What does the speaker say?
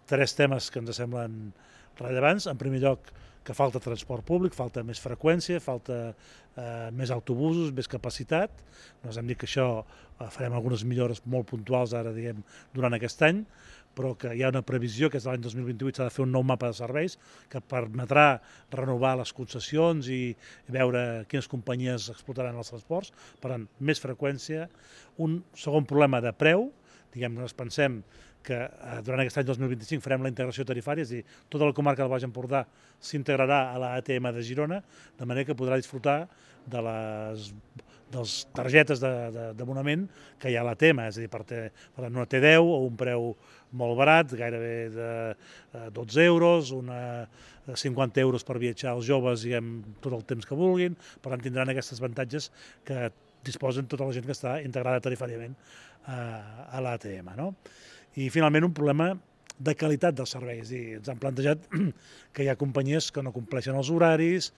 tres temes que ens semblen rellevants. En primer lloc, que falta transport públic, falta més freqüència, falta més autobusos, més capacitat. Nosaltres hem dit que això farem algunes millores molt puntuals ara, diguem, durant aquest any, però que hi ha una previsió, que és l'any 2028 s'ha de fer un nou mapa de serveis que permetrà renovar les concessions i veure quines companyies explotaran els transports. Per tant, més freqüència. Un segon problema de preu, diguem, nosaltres pensem que durant aquest any 2025 farem la integració tarifària, és a dir, tota la comarca del Baix Empordà s'integrarà a l'ATM de Girona, de manera que podrà disfrutar de les targetes d'abonament que hi ha a l'ATM, és a dir, per tant, una T10 a un preu molt barat, gairebé de 12 euros, 50 euros per viatjar als joves, diguem, tot el temps que vulguin. Per tant, tindran aquests avantatges que disposen tota la gent que està integrada tarifàriament a l'ATM, no? I finalment un problema de qualitat del servei, és a dir, ens han plantejat que hi ha companyies que no compleixen els horaris,